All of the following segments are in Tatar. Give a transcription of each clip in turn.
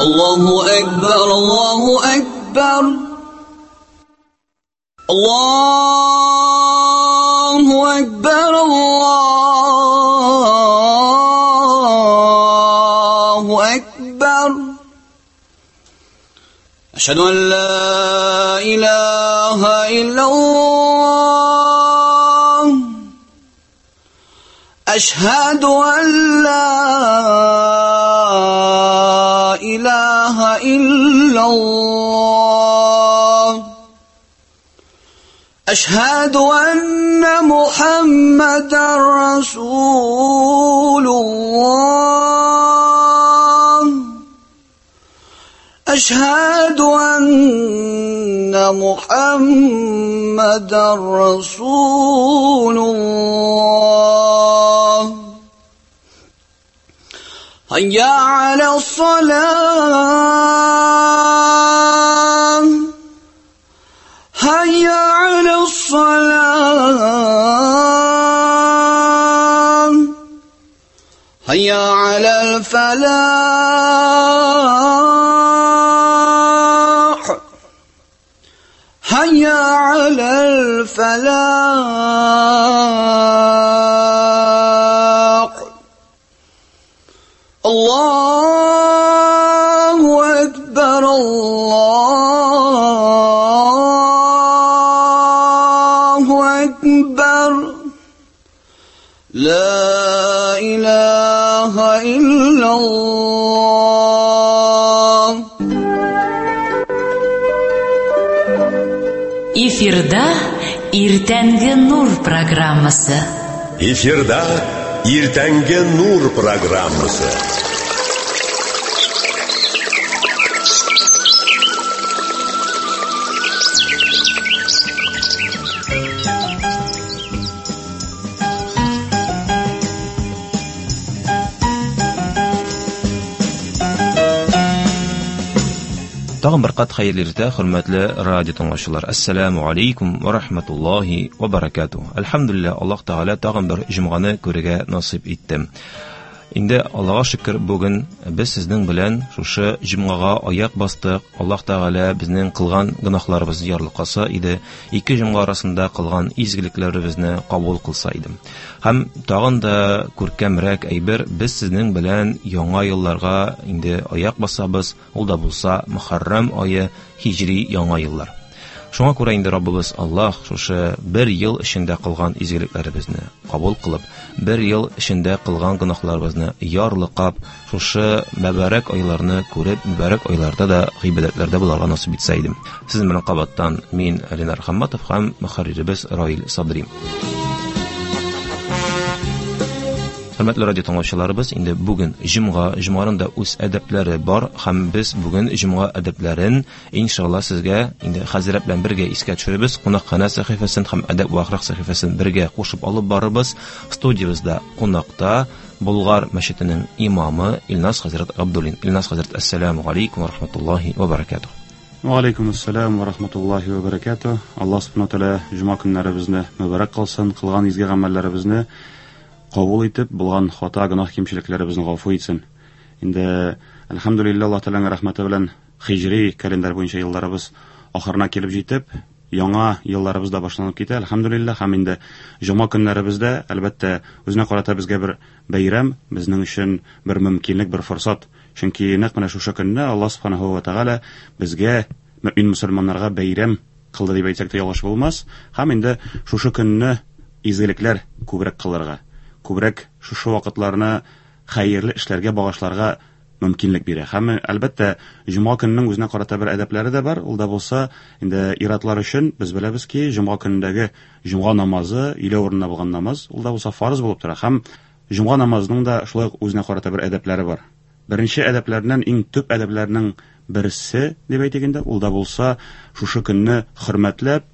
Allahu Akbar, Allahu Akbar. Allahu Akbar, Allahu Akbar. Ashhadu an la ilaha illallah. Ashhadu an la ilaha illallah. Ashhadu anna Muhammadan Rasulullah. Ashhadu anna Muhammadan Rasulullah. Hayya ala salah. Hayya ala salah. Hayya ala al-falah. Hayya ala al-falah. Allahu Akbar, Allahu Akbar. La ilaha illallah. Эфирда Иртәнге Нур программасы. Эфирда Иртәнге Нур программасы. Тагын бер кат хәерле иртә, хөрмәтле радио тыңлаучылар. Ассаламу алейкум ва рахматуллахи ва баракатуh. Әлхәмдүлилләһ, Аллаһ Тәгалә тагын бер җомганы күрергә насыйп итте. Инде Аллаһка шөкер, бүген без сезнең белән шушы җомгага аяк бастык. Аллаһ Тәгалә безнең кылган гөнаһларыбызны ярлыкаса иде, ике җомга арасында кылган изгелекләребезне кабул кылса иде. Һәм тагын да күркәмрәк әйбер, без сезнең белән яңа елларга инде аяк басабыз. Ул да булса Мөхәррәм ае, һиҗри яңа еллар. Шуңа күрә инде Раббыбыз Аллаһ шушы бер ел эчендә кылган изгелекләребезне кабул кылып, бер ел эчендә кылган гөнаһларыбызны ярлыкап, шушы мөбарәк айларны күреп, мөбарәк айларда да гыйбадәтләрдә булырга насыйп итсә иде. Сезнең белән кабаттан мин Ленар Хамматов һәм мөхәрриребез Раил Садри. Хөрмәтле радио тыңлаучыларыбыз, инде бүген җомга, җомганың да үз әдәпләре бар һәм без бүген җомга әдәпләрен иншалла сезгә инде хәзрәт белән бергә искә төшерәбез. Кунакханә сәхифәсен һәм әдәп ва әхлак сәхифәсен бергә кушып алып барырбыз. Студиябездә кунакта Болгар мәчетенең имамы Илназ хәзрәт Габдуллин. Илназ хәзрәт, ассаламу алейкум ва рахматуллахи ва баракатуh. Ва алейкум ассалам ва рахматуллахи ва баракатуh. Аллаһ субхана ва тааля җомга көннәребезне мөбарәк кылсын, кылган изге гамәлләребезне кабул итеп, булган хата, гөнаһ, кимчелекләребезне гафу итсен. Инде әлхәмдүлилләһ, Аллаһ Тәгаләнең рәхмәте белән хиҗри календарь буенча елларыбыз ахырына килеп җитеп, яңа елларыбыз да башланып китә, әлхәмдүлилләһ. Һәм инде җомга көннәребездә, әлбәттә, үзенә карата безгә бер бәйрәм, безнең өчен бер мөмкинлек, бер форсат. Чөнки нәкъ менә шушы көнне Аллаһ субханаһу ва тәгалә безгә, мөмин мөселманнарга бәйрәм кылды дип әйтсәк тә ялгыш булмас. Һәм инде шушы көнне изгелекләр күбрәк кылырга, күбрәк шушы вакытларны хәерле эшләргә багышларга мөмкинлек бирә. Һәм әлбәттә, җомга көненең үзенә карата бер әдәпләре дә бар. Ул да булса, инде ир-атлар өчен без беләбез ки, җомга көнендәге җомга намазы, өйлә урынына булган намаз, ул да булса фарыз булып тора. Һәм җомга намазының да шулай ук үзенә карата бер әдәпләре бар. Беренче әдәпләреннән, иң төп әдәпләрнең берсе дип әйтик инде, ул да булса шушы көнне хөрмәтләп,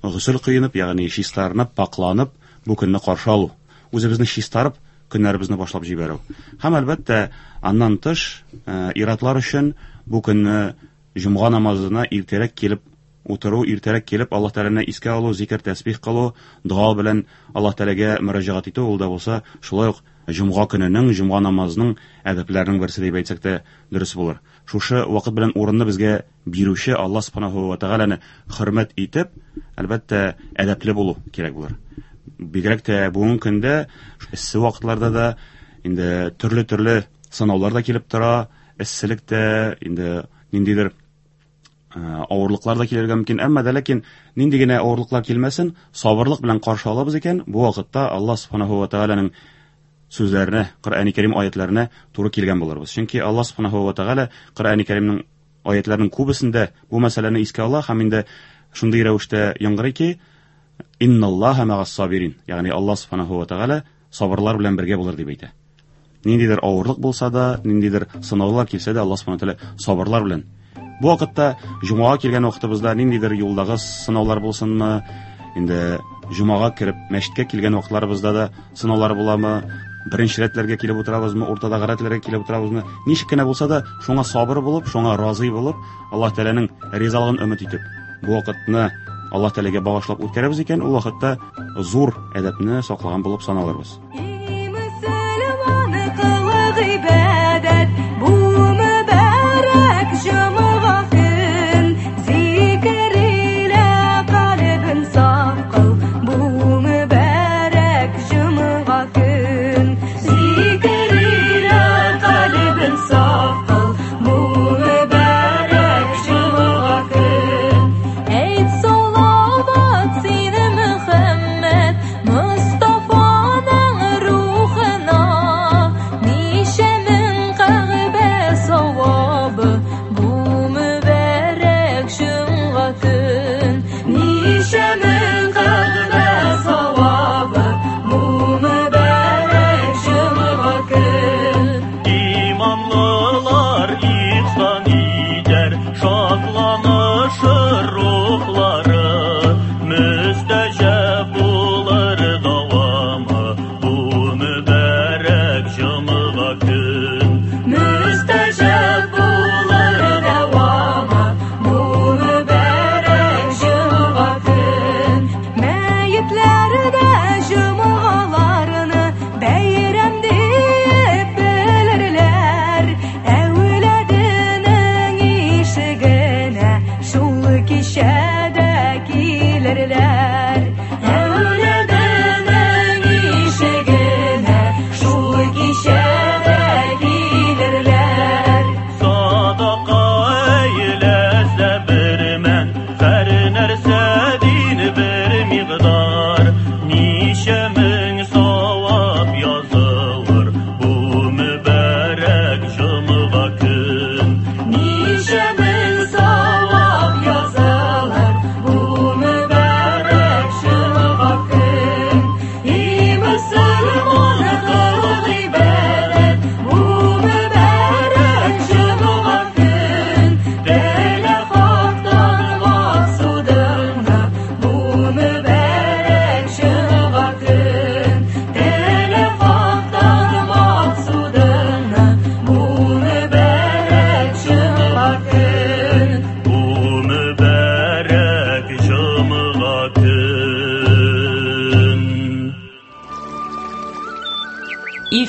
госел коенып, ягъни чистарынып, пакланып, бу көнне каршы алу. Үзебезне чистарып, көннәребезне башлап җибәрү. Һәм әлбәттә, аннан тыш, ир-атлар өчен бу көнне җомга намазына иртәрәк килеп утыру, иртәрәк килеп Аллаһ Тәгаләне искә алу, зикр, тәсбих кылу, дога белән Аллаһ Тәгаләгә мөрәҗәгать итү, ул да булса шулай ук җомга көненең, җомга намазының әдәпләренең берсе дип әйтсәк тә дөрес булыр. Шушы вакыт белән урынны безгә бирүче Алла субханаху ва тәгаләне хөрмәт итеп, әлбәттә, әдәпле булу кирәк булыр. Бигрәк тә бүгенге көндә эссе вакытларда да инде төрле-төрле сынаулар да килеп тора, эсселек тә, инде ниндидер авырлыклар да килергә мөмкин. Әмма дә ләкин нинди генә авырлыклар килмәсен, сабырлык белән каршы алабыз икән, бу вакытта Алла субханаху ва тәгаләнең сүзләренә, Коръәни Кәрим аятларына туры килгән булырбыз. Чөнки Алла субханаху ва тәгалә Коръәни Кәримнең аятларының күбесендә бу мәсьәләне искә ала һәм инде шундый рәвештә яңгырый ки, Инналлаһа мәгас сабирин, ягъни Алла субханаху ва тәгалә сабырлар белән бергә булыр дип әйтә. Ниндидер авырлык булса да, ниндидер сынаулар килсә дә, Алла субханаху ва тәгалә сабырлар белән. Бу вакытта җомгага килгән вакытыбызда ниндидер юлдагы сынаулар булсынмы, инде җомгага кереп мәчеткә килгән вакытларыбызда да сынаулар буламы, беренче рәтләргә килеп утырабызмы, уртадагы рәтләргә килеп утырабызмы, ничек кенә булса да, шуңа сабыр булып, шуңа разый булып, Аллаһ Тәгаләнең ризалыгын өмет итеп, бу вакытны Аллаһ Тәгаләгә багышлап үткәрәбез икән, ул вакытта зур әдәпне саклаган булып саналырбыз.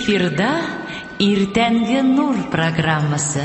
Эфирда Иртәнге Нур программасы.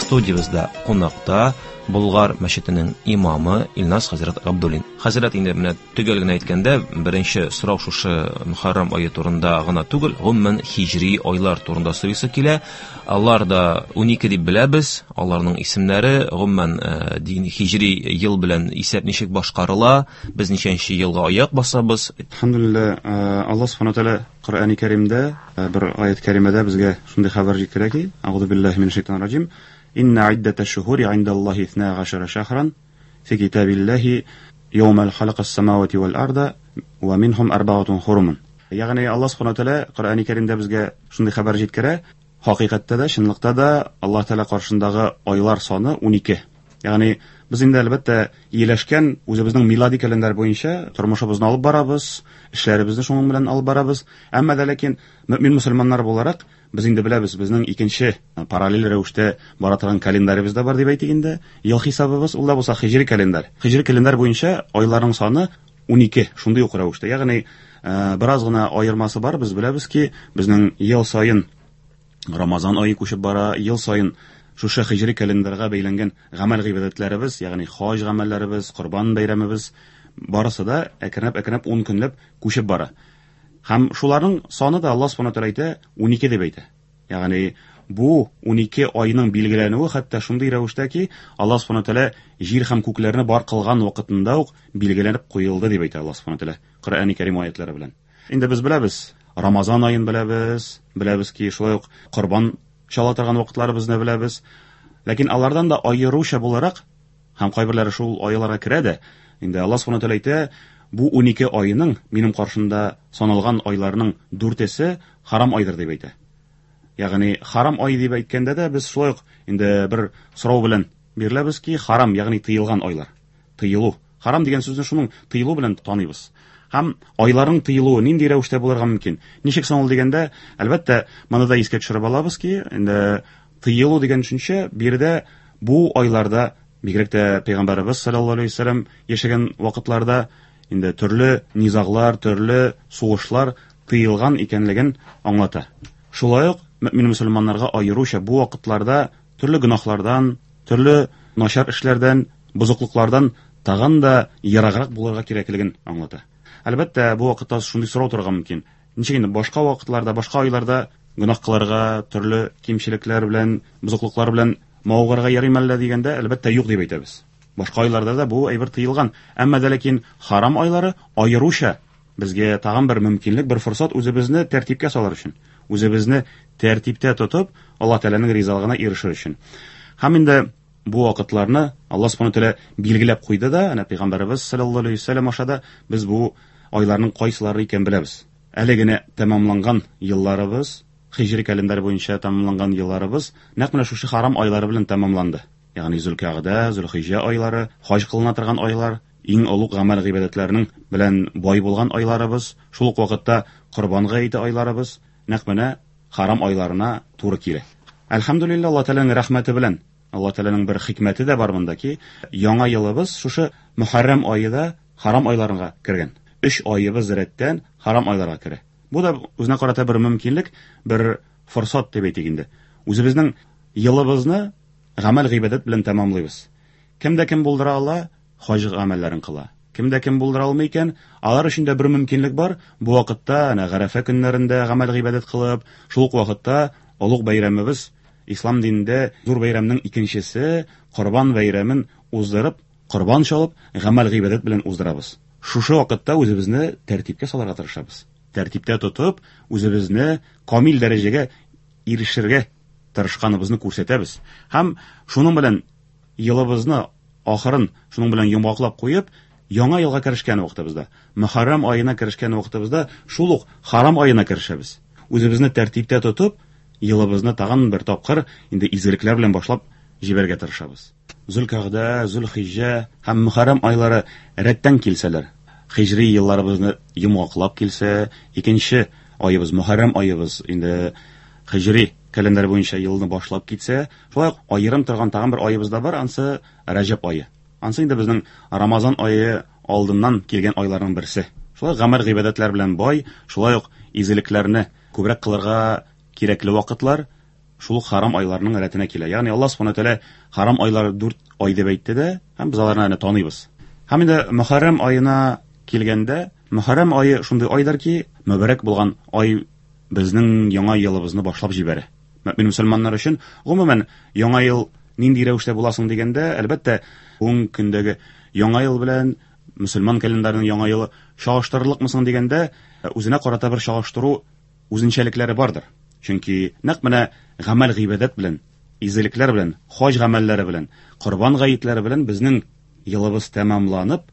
Студиябездә кунакта Болгар мәчетенең имамы Илназ хәзрәт Габдуллин. Хәзрәт, инде менә төгәл генә әйткәндә, беренче сорау шушы Мөхәррәм ае турында гына түгел, гомумән һиҗри айлар турында сорыйсы килә. Алар да 12 дип беләбез, аларның исемнәре, гомумән дин һиҗри ел белән исәп ничек башкарыла, без ничәнче елга аяк басабыз? Әлхәмдүлилләһ, Аллаһ субхана тәгалә Коръәни Кәримдә бер аят кәримәдә безгә шундый хәбәр җиткерә ки, Әгъузу биллаһи минәш шайтанир раҗим, Инна иддәтәш шуһури индаллаһи исна гашара шахран фи китабиллаһи яумал халакас самавати вал арда ва минхум арбаатун хурумун. Ягъни Аллаһ субхана тәгалә Коръәни Кәримдә безгә шундый хәбәр җиткерә, хакыйкатьтә дә, чынлыкта да Аллаһ Тәгалә каршындагы айлар саны 12. Ягъни Без инде әлбәттә ияләшкән үзебезнең милади календарь буенча тормышыбызны алып барабыз, эшләребезне шуның белән алып барабыз. Әмма дә ләкин мөэмин мөселманнар буларак без инде беләбез, безнең икенче параллель рәвештә бара торган календаребез дә бар дип әйтик инде. Ел хисабыбыз ул да булса хиҗри календарь. Хиҗри календарь буенча айларның саны 12 шундый ук рәвештә. Ягъни бераз гына аермасы бар. Без беләбез ки, безнең ел саен Рамазан ае күчеп бара, ел саен шушы хиҗри календарьга бәйләнгән гамәл гыйбадәтләребез, ягъни хаҗ гамәлләребез, корбан бәйрәмебез барысы да әкренләп-әкренләп 10 көнләп күчеп бара. Һәм шуларның саны да Аллаһ Субхану тәгалә әйтә 12 дип әйтә. Ягъни бу 12 айның билгеләнүе хәтта шундый рәвештә ки, Аллаһ Субхану тәгалә җир һәм күкләрне бар кылган вакытында ук билгеләнеп куелды дип әйтә Аллаһ Субхану тәгалә Коръәни Кәрим аятлары белән. Инде без беләбез, Рамазан аен беләбез, беләбез ки, шулай ук корбан чала торган вакытларыбызны беләбез. Ләкин алардан да аеруча буларак, һәм кайберләре шул айларга керә дә, инде Аллаһ Субхану тәгалә әйтә, бу 12 айның минем каршымда саналган айларның дүртесе харам айдыр дип әйтә. Ягъни харам ай дип әйткәндә дә без шулай ук инде бер сорау белән биреләбез ки, харам, ягъни тыелган айлар. Тыелу. Харам дигән сүзне шуның тыелу белән таныйбыз. Һәм айларның тыелуы нинди рәвештә булырга мөмкин? Ничек соң ул дигәндә, әлбәттә, моны да искә төшереп алабыз ки, инде тыелу дигән төшенчә биредә бу айларда, бигрәк тә пәйгамбәребез саллаллаһу алейһи вәсәлләм яшәгән вакытларда инде төрле низаглар, төрле сугышлар тыелган икәнлеген аңлата. Шулай ук мөэмин мөселманнарга аеруча бу вакытларда төрле гөнаһлардан, төрле начар эшләрдән, бозыклыклардан тагын да ераграк булырга кирәклеген аңлата. Әлбәттә, бу вакытта шундый сорау торырга мөмкин. Ничек инде башка вакытларда, башка айларда гөнаһ кылырга, төрле кимчелекләр белән, бозыклыклар белән мавыгырга ярыймы әллә дигәндә, әлбәттә, юк дип әйтәбез. Башка айларда да бу әйбер тыелган. Әмма дә ләкин харам айлары аеруча безгә тагын бер мөмкинлек, бер форсат үзебезне тәртипкә салыр өчен, үзебезне тәртиптә тотып, Аллаһ Тәгаләнең ризалыгына ирешер өчен. Һәм инде бу вакытларны Аллаһ Субхану тәгалә билгеләп куйды да, әнә пәйгамбәребез саллаллаһу алейһи вәсәлләм аша да без бу айларның кайсылары икәнен беләбез. Әле генә тәмамланган елларыбыз, хиҗри календарь буенча тәмамланган елларыбыз нәкъ менә шушы харам айлары белән тәмамланды. Ягъни Зөлкәгъдә, Зөлхиҗә айлары, хаҗ кылына торган айлар, иң олуг гамәл гыйбадәтләренең белән бай булган айларыбыз, шул ук вакытта Корбан гаете айларыбыз нәкъ менә харам айларына туры килә. Әлхәмдүлилләһ, Аллаһ Тәгаләнең рәхмәте белән, Аллаһ Тәгаләнең бер хикмәте дә бар монда ки, яңа елыбыз шушы Мөхәррәм ае да харам айларына кергән. Өч аебыз рәттән харам айларга керә. Бу да үзенә карата бер мөмкинлек, бер форсат дип әйтик инде. Үзебезнең елыбызны гамәл гыйбадәт белән тәмамлыйбыз. Кем дә кем булдыра ала, хаҗ гамәлләрен кыла. Кем дә кем булдыра алмый икән, алар өчен дә бер мөмкинлек бар. Бу вакытта, әнә Гарәфә көннәрендә гамәл гыйбадәт кылып, шул ук вакытта олуг бәйрәмебез, ислам динендә зур бәйрәмнең икенчесе, Корбан бәйрәмен уздырып, корбан чалып, гамәл гыйбадәт белән уздырабыз. Шушы вакытта үзебезне тәртипкә салырга тырышабыз. Тәртиптә тотып, үзебезне камил дәрәҗәгә ирешергә тырышканыбызны күрсәтәбез. Һәм шуның белән елыбызны ахырын шуның белән йомгаклап куеп, яңа елга керешкән вакытыбызда, Мөхәррәм аена керешкән вакытыбызда шул ук харам аена керешәбез. Үзебезне тәртиптә тотып, елыбызны тагын бер тапкыр инде изгелекләр белән башлап җибәрергә тырышабыз. Зөлкәгъдә, Зөлхиҗҗә һәм Мөхәррәм айлары рәттән килсәләр, хиҗри елларыбызны йомгаклап килсә, икенче аебыз Мөхәррәм аебыз инде хиҗри календарь буенча елны башлап китсә, шулай ук аерым торган тагын бер аебыз да бар, ансы Рәҗәб ае. Ансы инде безнең Рамазан ае алдыннан килгән айларның берсе. Шулай гамәл гыйбадәтләр белән бай, шулай ук изгелекләрне күбрәк кылырга кирәкле вакытлар шул ук харам айларның рәтенә килә. Ягъни Аллаһ Субхану тәгалә харам айлары 4 ай дип әйтте дә, һәм без аларны әнә таныйбыз. Һәм инде Мөхәррәм аена килгәндә, Мөхәррәм ае шундый айдыр ки, мөбарәк булган ай безнең яңа елыбызны башлап җибәрә. Мөэмин мөселманнар өчен гомумән яңа ел нинди рәвештә буласың дигәндә, әлбәттә, бүгенге көндәге яңа ел белән мөселман календарының яңа елы чагыштырырлыкмы соң дигәндә, үзенә карата бер чагыштыру үзенчәлекләре бардыр. Чөнки нәкъ менә гамәл гыйбадәт белән, изгелекләр белән, хаҗ гамәлләре белән, корбан гаетләре белән безнең елыбыз тәмамланып,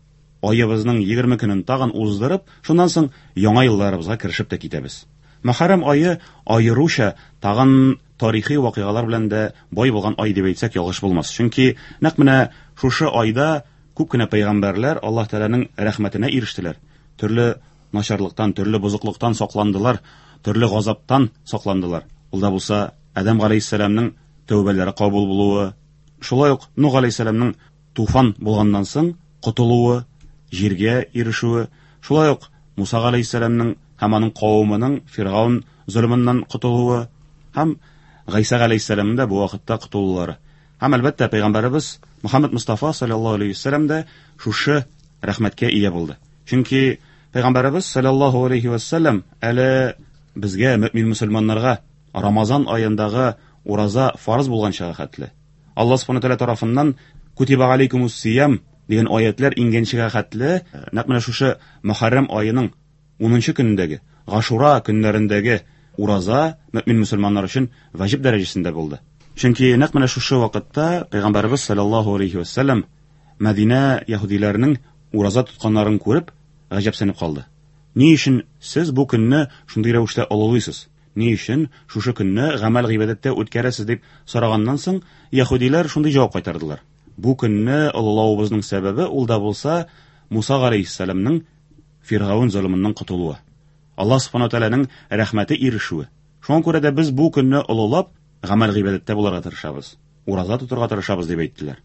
аебызның 20 көнен тагын уздырып, шуннан соң яңа елларыбызга керешеп тә китәбез. Мөхәррәм ае аеруча тагын тарихи вакыйгалар белән дә бай булган ай дип әйтсәк ялгыш булмас. Чөнки нәкъ менә шушы айда күп кенә пәйгамбәрләр Аллаһ Тәгаләнең рәхмәтенә ирештеләр. Төрле начарлыктан, төрле бозыклыктан сакландылар, төрле газаптан сакландылар. Ул да булса Адәм галәйһиссәламнең тәүбәләре кабул булуы, шулай ук Нух галәйһиссәламнең туфан булганнан соң котылуы, җиргә ирешүе, шулай ук Муса галәйһиссәламнең һәм аның кавымының Фиргаун золымыннан котылуы һәм Гайсә галәйһиссәламнең дә бу вакытта котылулары. Һәм әлбәттә пәйгамбәребез Мөхәммәд Мустафа саллаллаһу алейһи вәсәлләм дә шушы рәхмәткә ия булды. Чөнки пәйгамбәребез саллаллаһу алейһи вәсәлләм әле безгә мөмин мөселманнарга Рамазан аендагы ураза фарыз булганчага хәтле Аллаһ субхана тәгалә тарафыннан кутиба алейкумус сиям дигән аятлар иңгәнчегә хәтле нәкъ менә шушы Мөхәррәм аеның 10 көнендәге Гашура көннәрендәге ураза мөмин мөселманнар өчен ваҗиб дәрәҗәсендә булды. Чөнки нәкъ менә шушы вакытта пәйгамбәребез саллаллаһу алейхи вәсәлләм Мәдинә яһүдиләренең ураза тотканнарын күреп, гаҗәпсенеп калды. Ни өчен сез бу көнне шундый рәвештә олылыйсыз? Ни өчен шушы көнне гамәл гыйбадәттә үткәрәсез дип сораганнан соң, яһүдиләр шундый җавап кайтардылар. Бу көнне олылавыбызның сәбәбе ул да булса Муса галәйһиссәламнең Фиргаун золымыннан котылуы. Аллаһ субхана тәгаләнең рәхмәте ирешүе. Шуңа күрә дә без бу көнне олылап гамәл гыйбадәттә булырга тырышабыз. Ураза тотырга тырышабыз дип әйттеләр.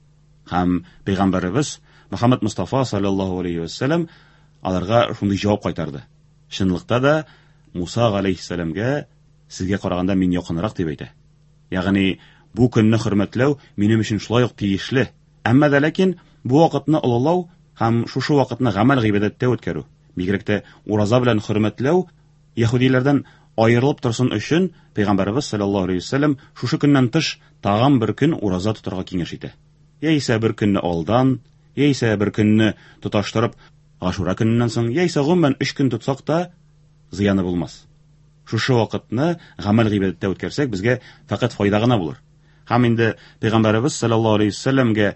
Һәм пәйгамбәребез Мөхәммәд Мустафа саллаллаһу алейхи вәсәлләм аларга шундый җавап кайтарды. Чынлыкта да Муса галәйһиссәламгә сезгә караганда мин якынрак дип әйтә. Ягъни бу көнне хөрмәтләү минем өчен шулай ук тиешле. Әмма дә ләкин бу вакытны олылау һәм шушы вакытны гамәл гыйбадәттә үткәрү, бигрәк тә ураза белән хөрмәтләү яһүдиләрдән аерылып торсын өчен пәйгамбәребез саллаллаһу алейхи вәсәлләм шушы көннән тыш тагын бер көн ураза тотарга киңәш итә. Яисә бер көнне алдан, яисә бер көнне тоташтырып Гашура көненнән соң, яисә гомумән 3 көн тотсак та зыяны булмас. Шушы вакытны гамәл гыйбадәттә үткәрсәк, безгә фәкать файда гына булыр. Һәм инде пәйгамбәребез саллаллаһу алейхи вәсәлләмгә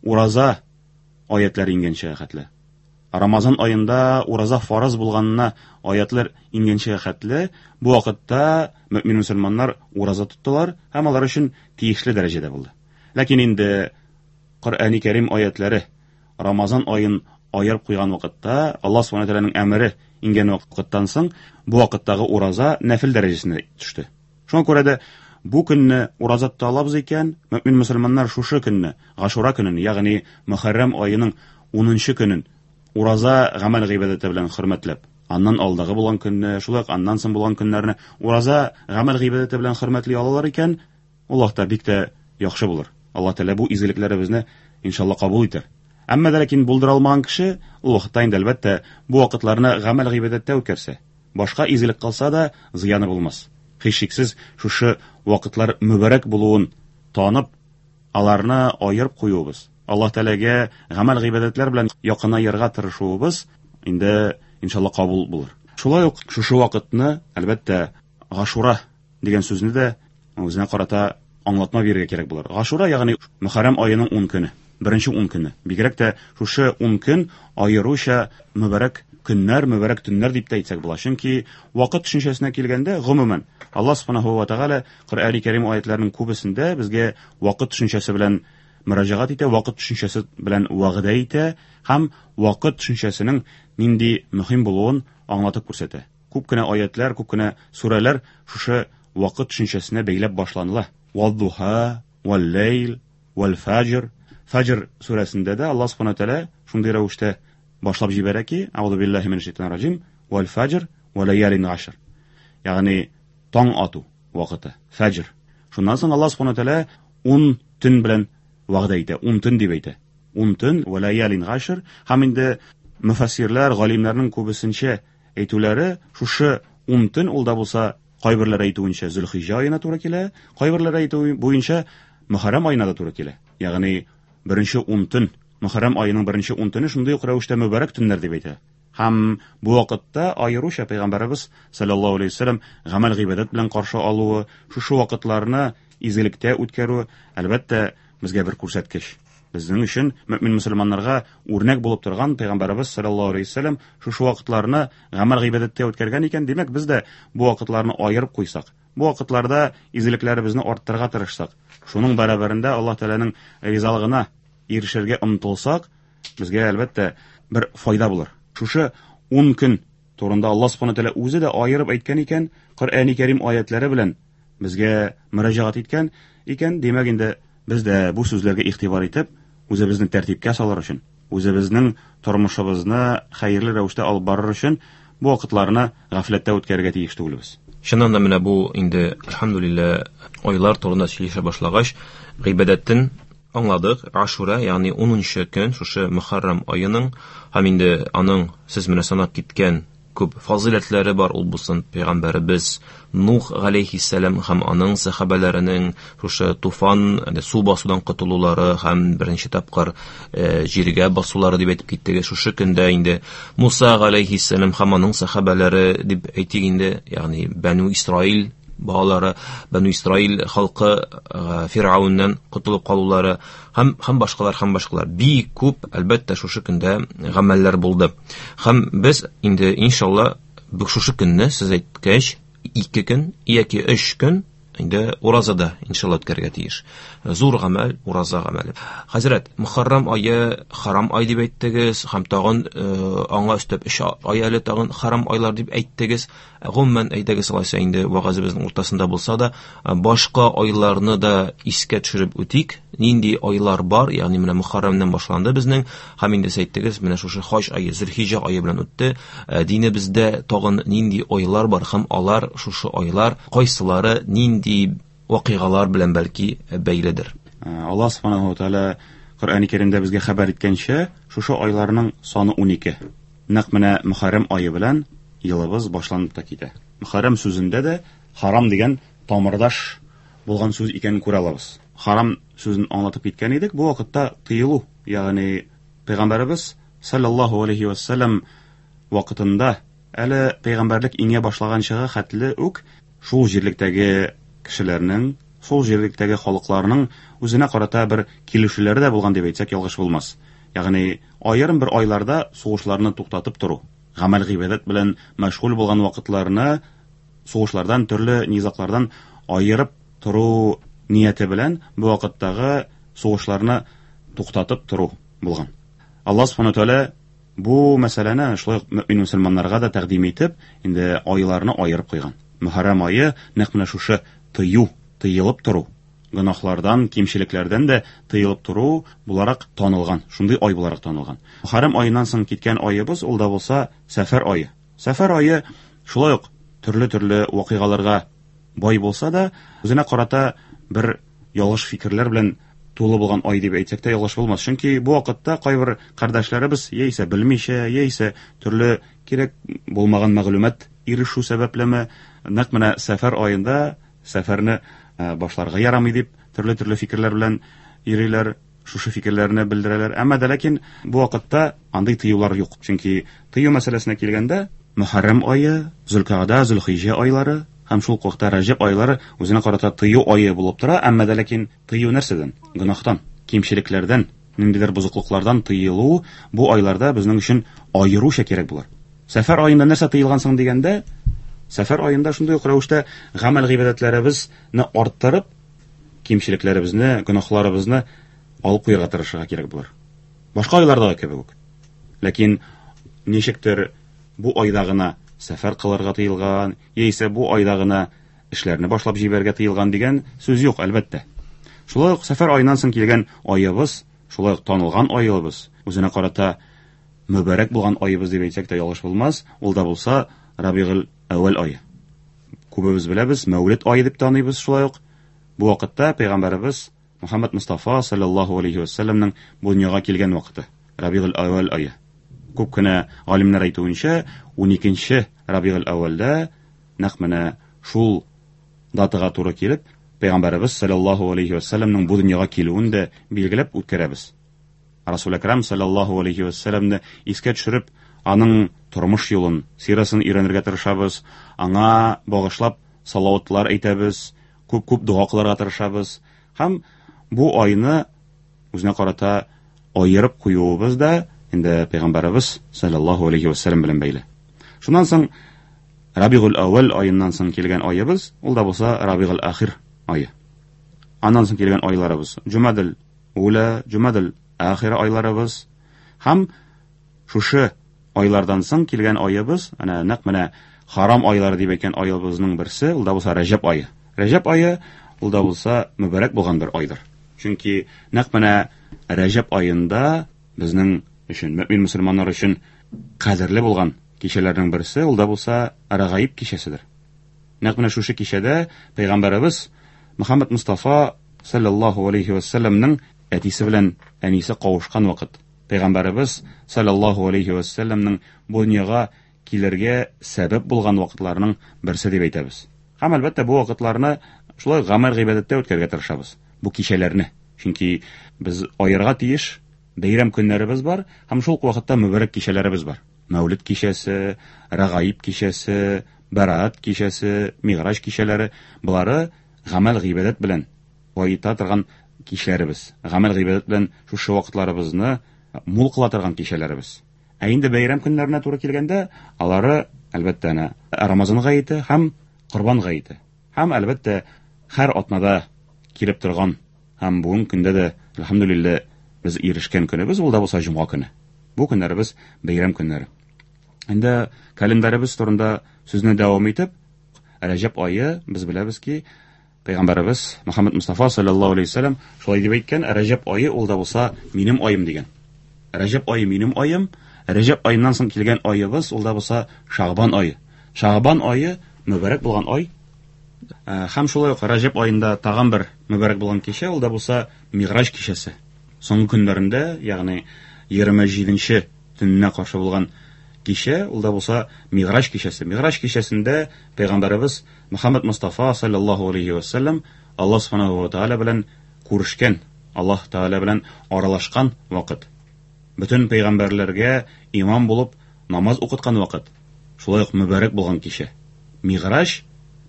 ураза аятлары иңгәнчә хәтле. Рамазан аенда ураза фарыз булганына аятлар иңгәнчә хәтле, бу вакытта мөмин мөселманнар ураза тоттылар һәм алар өчен тиешле дәрәҗәдә булды. Ләкин инде Коръәни Кәрим аятлары Рамазан аен аерып куйган вакытта, Аллаһ субхана тәгаләнең әмере иңгән вакыттан соң, бу вакыттагы ураза нәфил дәрәҗәсенә төште. Шуңа күрә дә бу көнне ураза тота алабыз икән, мөмин мөселманнар шушы көнне, Гашура көнен, ягъни Мөхәррәм аеның 10 көнен ураза гамәл гыйбадәте белән хөрмәтләп, аннан алдагы булган көнне, шулай ук аннан соң булган көннәрне ураза гамәл гыйбадәте белән хөрмәтли алалар икән, ул вакытта бик тә яхшы булыр. Аллаһ Тәгалә бу изгелекләребезне иншалла кабул итәр. Әмма дә ләкин булдыра алмаган кеше ул вакытта инде әлбәттә бу вакытларны гамәл гыйбадәттә үткәрсә, башка изгелек кылса да зыяны булмас. Һичшиксез шушы вакытлар мөбарәк булуын танып, аларны аерып куюыбыз, Аллаһ Тәгаләгә гамәл гыйбадәтләр белән якынаерга тырышуыбыз инде иншалла кабул булыр. Шулай ук шушы вакытны, әлбәттә, Гашура дигән сүзне дә үзенә карата аңлатма бирергә кирәк булыр. Гашура, ягъни Мөхәррәм аеның 10 көне, беренче 10 көне. Бигрәк тә шушы 10 көн аеруча мөбарәк көннәр, мөбарәк төннәр дип тә әйтсәк була. Чөнки вакыт төшенчәсенә килгәндә, гомумән, Аллаһ субханаһу ва тәгалә Коръәни Кәрим аятларының күбесендә безгә вакыт төшенчәсе белән мөрәҗәгать итә, вакыт төшенчәсе белән вәгъдә итә һәм вакыт төшенчәсенең нинди мөһим булуын аңлатып күрсәтә. Күп кенә аятлар, күп кенә сүрәләр шушы вакыт төшенчәсенә бәйләп башланыла. Ваддуха, валлейл, валфаҗр. Фаҗр сүрәсендә дә Аллаһ субхана тәгалә шундый рәвештә башлап җибәрә ки, Аузу биллаһи минәш шайтанир раҗим, валфаҗр ва лаялин ашр. Ягъни таң ату вакыты, фаҗр. Шуннан соң Аллаһ субхана тәгалә 10 төн белән вәгъдә итә, 10 төн дип әйтә. 10 төн ва лаялин ашр һәм инде мөфәссирләр, галимнәрнең күбесенчә әйтүләре шушы 10 төн ул да булса кайберләре әйтүенчә Зөлхиҗә аена туры килә, кайберләре әйтү буенча Мөхәррәм аена да туры килә. Ягъни беренче 10 төн, Мөхәррәм аеның беренче 10 төне шундый ук рәвештә мөбарәк төннәр дип әйтә. Һәм бу вакытта аеруча пәйгамбәребез саллаллаһу алейһи вәсәлләм гамәл гыйбадәт белән каршы алуы, шушы вакытларны изгелектә үткәрү, әлбәттә, безгә бер күрсәткеч. Безнең өчен мөмин мөселманнарга үрнәк булып торган пәйгамбәребез саллаллаһу алейһи вәсәлләм шушы вакытларны гамәл гыйбадәттә үткәргән икән, димәк, без дә бу вакытларны аерып куйсак, Бу вакытларда изгелекләребезне арттырырга тырышсак, шуның бәрабәрендә Аллаһ Тәгаләнең ризалыгына ирешергә омтылсак, безгә әлбәттә бер файда булыр. Шушы 10 көн турында Аллаһ Субхану Тәгалә үзе дә аерып әйткән икән, Коръәни Кәрим аятлары белән безгә мөрәҗәгать иткән икән, димәк инде без дә бу сүзләргә игътибар итеп, үзебезне тәртипкә салыр өчен, үзебезнең тормышыбызны хәерле рәвештә алып барыр өчен бу вакытларны гафләттә үткәрергә тиеш түгелбез. Чыннан да менә бу инде, әлхәмдүлилләһ, айлар турында сөйләшә башлагач, гыйбадәтен аңладык. Ашура, ягъни 10 көн, шушы Мөхәррәм аеның һәм инде аның сез менә санап киткән күп фазыйләтләре бар, ул булсын пәйгамбәребез Нух галәйһиссәлам һәм аның сәхабәләренең шушы туфан, су басудан котылулары һәм беренче тапкыр җиргә басулары дип әйтеп киттек. Шушы көндә инде Муса галәйһиссәлам һәм аның сәхабәләре дип әйтик инде, ягъни Бәнү Исраил балалары, Бәнү Исраил халкы Фирауннан котылып калулары һәм башкалар, һәм башкалар. Бик күп, әлбәттә, шушы көндә гамәлләр булды. Һәм без инде иншалла шушы көнне, сез әйткәч, 2 көн яки 3 көн инде уразада иншалла үткәрергә тиеш. Зур гамәл, ураза гамәле. Хәзрәт, Мөхәррәм ае харам ай дип әйттегез, һәм тагын аңа өстәп 3 ай әле тагын харам айлар дип әйттегез. Гомумән, әйдәгез алайса инде вәгазебезнең уртасында булса да, башка айларны да искә төшереп үтик. Нинди айлар бар? Ягъни менә Мөхәррәмнән башланды безнең, һәм инде сез әйттегез, менә шушы хаҗ ае, Зөлхиҗә ае белән үтте. Динебездә тагын нинди айлар бар һәм алар шушы айлар кайсылары нинди вакыйгалар белән бәлки бәйледер? Аллаһ субханаһу ва тааля Коръәни Кәримдә безгә хәбәр иткәнчә, шушы айларның саны 12. Нәкъ менә Мөхәррәм ае белән елыбыз башланып та китә. Мөхәррәм сүзендә дә харам дигән тамырдаш булган сүз икәнен күрә алабыз. Харам сүзен аңлатып киткән идек, бу вакытта тыелу, ягъни Пәйгамбәребез саллаллаһу алейхи ва саллям вакытында әле пәйгамбәрлек иңә башлаганчыга хәтле үк шул җирлектәге кешеләрнең, шул җирлектәге халыкларның үзенә карата бер килешүләре дә булган дип әйтсәк ялгыш булмас. Ягъни аерым бер айларда сугышларны туктатып тору, гамәл гыйбадәт белән мәшгуль булган вакытларны сугышлардан, төрле низаклардан аерып тору нияте белән бу вакыттагы сугышларны туктатып тору булган. Аллаһ субхану тааля бу мәсьәләне шулай ук мөмин мөселманнарга да тәкъдим итеп, инде айларны аерып куйган. Мөхәррәм ае нәкъ менә шушы тыю, тыелып тору, гөнаһлардан, кимчелекләрдән дә тыелып тору буларак танылган, шундый ай буларак танылган. Мөхәррәм аеннан соң киткән аебыз ул да булса Сәфәр ае. Сәфәр ае шулай ук төрле-төрле вакыйгаларга бай булса да, үзенә карата бер ялгыш фикерләр белән тулы булган ай дип әйтсәк тә ялгыш булмас. Чөнки бу вакытта кайбер кардәшләребез яисә белмичә, яисә төрле кирәк булмаган мәгълүмат ирешү сәбәплеме, нәкъ менә сәфәр аенда сәфәрне башларга ярамый дип төрле-төрле фикерләр белән йөриләр, шушы фикерләрне белдерәләр. Әмма дә ләкин бу вакытта андый тыюлар юк. Чөнки тыю мәсьәләсенә килгәндә, Мөхәррәм ае, Зөлкагда, Зөлхиҗә айлары һәм шул ук вакытта Раҗәб айлары үзенә карата тыю ае булып тора, әмма дә ләкин тыю нәрсәдән? Гөнаһтан, кимчелекләрдән, ниндидер бозыклыклардан тыелу бу айларда безнең өчен аеруча кирәк булыр. Сәфәр аенда нәрсә тыелган соң дигәндә, сәфәр аенда шундый ук рәвештә гамәл гыйбадәтләребезне арттырып, кимчелекләребезне, гөнаһларыбызны алып куярга тырышырга кирәк булыр. Башка айлардагы кебек үк. Ләкин ничектер бу айда гына сәфәр кылырга тыелган, яисә бу айда гына эшләрне башлап җибәрергә тыелган дигән сүз юк, әлбәттә. Шулай ук сәфәр аеннан соң килгән аебыз, шулай ук танылган аебыз, үзенә карата мөбарәк булган аебыз дип әйтсәк тә ялгыш булмас, ул да булса Рабигул Әүвәл ае. Күбебез беләбез, Мәүлид ае дип таныйбыз шулай ук. Бу вакытта пәйгамбәребез Мухаммад Мустафа саллаллаһу алейхи ва саллямның бу дөньяга килгән вакыты, Рабигул Әүвәл ае. Күп кенә галимнәр әйтүенчә, 12 Рабигул Әүвәлдә нәкъ менә шул датага туры килеп, пәйгамбәребез саллаллаһу алейхи ва саллямның бу дөньяга килүен дә билгеләп үткәрәбез. Расул Әкрам саллаллаһу алейхи ва саллямны искә төшереп, аның тормыш юлын, сирасын өйрәнергә тырышабыз, аңа багышлап салаватлар әйтәбез, күп-күп дога кылырга тырышабыз. Һәм бу айны үзенә карата аерып куюыбыз да инде пәйгамбәребез саллаллаһу алейхи ва саллям белән бәйле. Шуннан соң Рабигул әүвәл аеннан соң килгән аебыз, ул да булса Рабигул ахир ае. Аннан соң килгән айларыбыз Җумадел ула, Җумадел ахир айларыбыз һәм шушы айлардан соң килгән аебыз, әнә нәкъ менә харам айлары дип әйткән аебызның берсе, ул да булса Рәҗәб ае. Рәҗәб ае ул да булса мөбарәк булган бер айдыр. Чөнки нәкъ менә Рәҗәб аенда безнең өчен, мөмин мөселманнар өчен кадерле булган кичәләрнең берсе, ул да булса Рәгаиб кичәседер. Нәкъ менә шушы кичәдә пәйгамбәребез Мөхәммәд Мустафа саллаллаһу алейхи ва салламның әтисе белән әнисе кавышкан вакыт. Пәйгамбәребез саллаллаһу алейхи ва салламның бу дөньяга килергә сәбәп булган вакытларның берсе дип әйтәбез. Һәм әлбәттә бу вакытларны шулай гамәл гыйбадәттә үткәрергә тырышабыз. Бу кичәләрне. Чөнки без аерга тиеш бәйрәм көннәребез бар һәм шул ук вакытта мөбарәк кичәләребез бар. Мәүлид кичәсе, Рәгаиб кичәсе, Бәраат кичәсе, Миграҗ кичәләре, болары гамәл гыйбадәт белән баета торган кичләребез. Гамәл гыйбадәт белән шушы вакытларыбызны мул кыла торган кичәләребез. Ә инде бәйрәм көннәренә туры килгәндә, алары, әлбәттә, әнә Рамазан гаете һәм Корбан гаете. Һәм, әлбәттә, һәр атнада килеп торган һәм бүгенге көндә дә, әлхәмдүлилләһ, без ирешкән көнебез, ул да булса җомга көне. Бу көннәребез бәйрәм көннәре. Инде календаребез турында сүзне дәвам итеп, Рәҗәб ае, без беләбез ки, Пәйгамбәребез Мөхәммәд Мустафа саллаллаһу алейһи вәсәлләм шулай дип әйткән, Рәҗәб ае ул да булса минем аем дигән. Рәҗәб ае минем аем, Рәҗәб аеннан соң килгән аебыз ул да булса Шагбан ае. Шагбан ае мөбарәк булган ай. Һәм шулай ук Рәҗәб аенда тагын бер мөбарәк булган кичә, ул да булса Миграҗ кичәсе. Соңгы көннәрендә, ягъни 27-нче төненә каршы булган кичә, ул да булса Миграҗ кичәсе. Миграҗ кичәсендә пәйгамбәребез Мөхәммәд Мустафа саллаллаһу алейһи ва саллям Аллаһ субханаһу ва тааля белән күрешкән, Аллаһ Тааля белән аралашкан вакыт. Бөтен пәйгамбәрләргә имам булып намаз укыткан вакыт. Шулай ук мөбарәк булган кичә. Миграҗ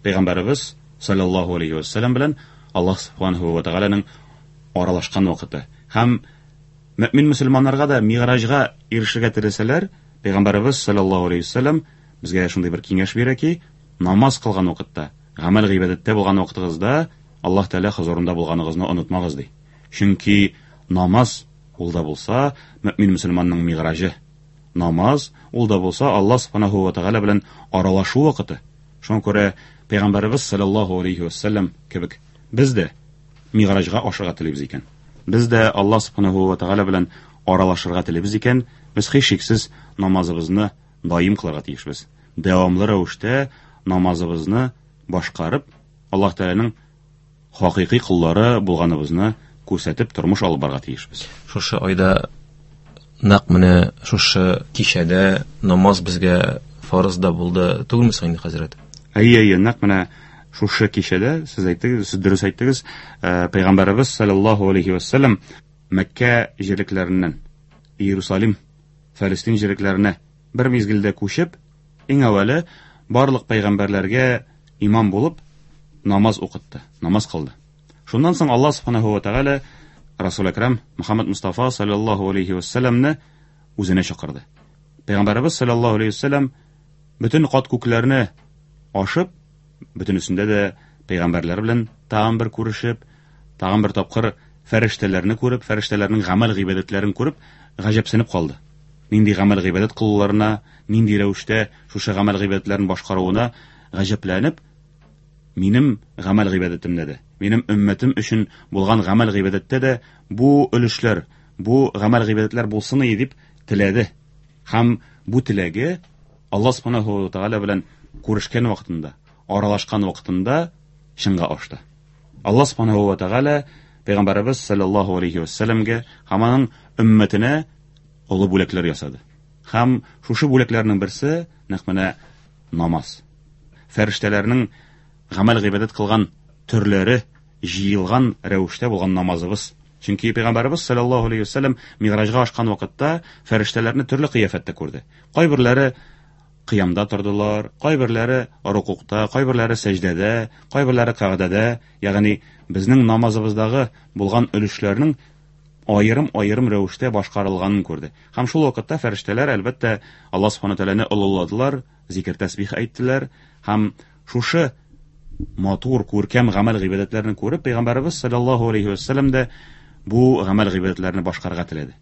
пәйгамбәребез саллаллаһу алейһи ва саллям белән Аллаһ субханаһу ва тааляның аралашкан вакыты. Һәм мөмин мөселманнарга да миграҗга ирешергә теләсәләр, пәйгамбәребез саллаллаһу алейһи ва саллям безгә шундый бер киңәш бирә ки, намаз кылган вакытта, гамәл гыйбадәттә булган вакытыгызда Аллаһ Тәгалә хозурында булганыгызны онытмагыз ди. Чөнки намаз ул да булса мөмин мөселманның миграҗы. Намаз ул да булса Аллаһ субханаһу ва тәгалә белән аралашу вакыты. Шуңа күрә пәйгамбәребез саллаллаһу алейхи ва саллям кебек без дә миграҗга ашырга телибез икән. Без дә Аллаһ субханаһу ва тәгалә белән аралашырга телибез икән, без һичшиксез намазыбызны даим кылырга тиешбез. Дәвамлы рәвештә намазыбызны башкарып, Аллаһ Тәгаләнең хакыйкый коллары булганыбызны күрсәтеп тормыш алып барырга тиешбез. Шушы айда нәкъ менә шушы кичәдә намаз безгә фарыз да булды түгелме соң инде, хәзрәт? Әйе, әйе, нәкъ менә шушы кичәдә сез әйттегез, сез дөрес әйттегез, Пәйгамбәребез саллаллаһу алейхи ва саллям Мәккә җирлекләреннән Иерусалим, Фәлестин җирлекләренә бер мизгелдә күчеп, иң әүвәле барлык пәйгамбәрләргә имам булып намаз укытты, намаз кылды. Шуннан соң Аллаһ субханаһу ва тәгалә Расул Әкрам Мөхәммәд Мустафа саллаллаһу алейхи ва салламны үзенә чакырды. Пәйгамбәребез саллаллаһу алейхи ва саллям бөтен кат күкләрне ашып, бөтенесендә дә пәйгамбәрләр белән тагын бер күрешеп, тагын бер тапкыр фәрештәләрне күреп, фәрештәләрнең гамәл гыйбадәтләрен күреп, гаҗәпсенеп калды. Нинди гамәл гыйбадәт кылуларына, нинди рәвештә шушы гамәл гыйбадәтләрен башкаруына гаҗәпләнеп, минем гамәл гыйбадәтемдә дә, минем өммәтем өчен булган гамәл гыйбадәттә дә бу өлешләр, бу гамәл гыйбадәтләр булсын иде дип теләде. Һәм бу теләге Аллаһ субханаһу ва тааля белән күрешкән вакытында, аралашкан вакытында чынга ашты. Аллаһ субханаһу ва тааля пәйгамбәребез саллаллаһу алейхи ва сәлләмгә һәм аның өммәтенә олы бүләкләр ясады. Һәм шушы бүләкләрнең берсе нәкъ менә намаз. Фәрештәләрнең гамәл гыйбадәт кылган төрләре җыелган рәвештә булган намазыбыз. Чөнки пәйгамбәребез саллаллаһу алейхи ва сәлләм миграҗга ашкан вакытта фәрештәләрне төрле кыяфәттә күрде. Кайберләре кыямда тордылар, кайберләре рукукта, кайберләре сәҗдәдә, кайберләре кәгъдәдә, ягъни безнең намазыбыздагы булган өлешләрнең аерым-аерым рәвештә башкарылганын күрде. Һәм шул вакытта фәрештәләр, әлбәттә, Аллаһ субхана тәгаләне олылладылар, зикер тәсбих әйттеләр һәм шушы матур, күркәм гамәл гыйбадәтләрне күреп, пәйгамбәребез саллаллаһу алейхи вәсәлләм дә бу гамәл гыйбадәтләрне башкарырга теләде.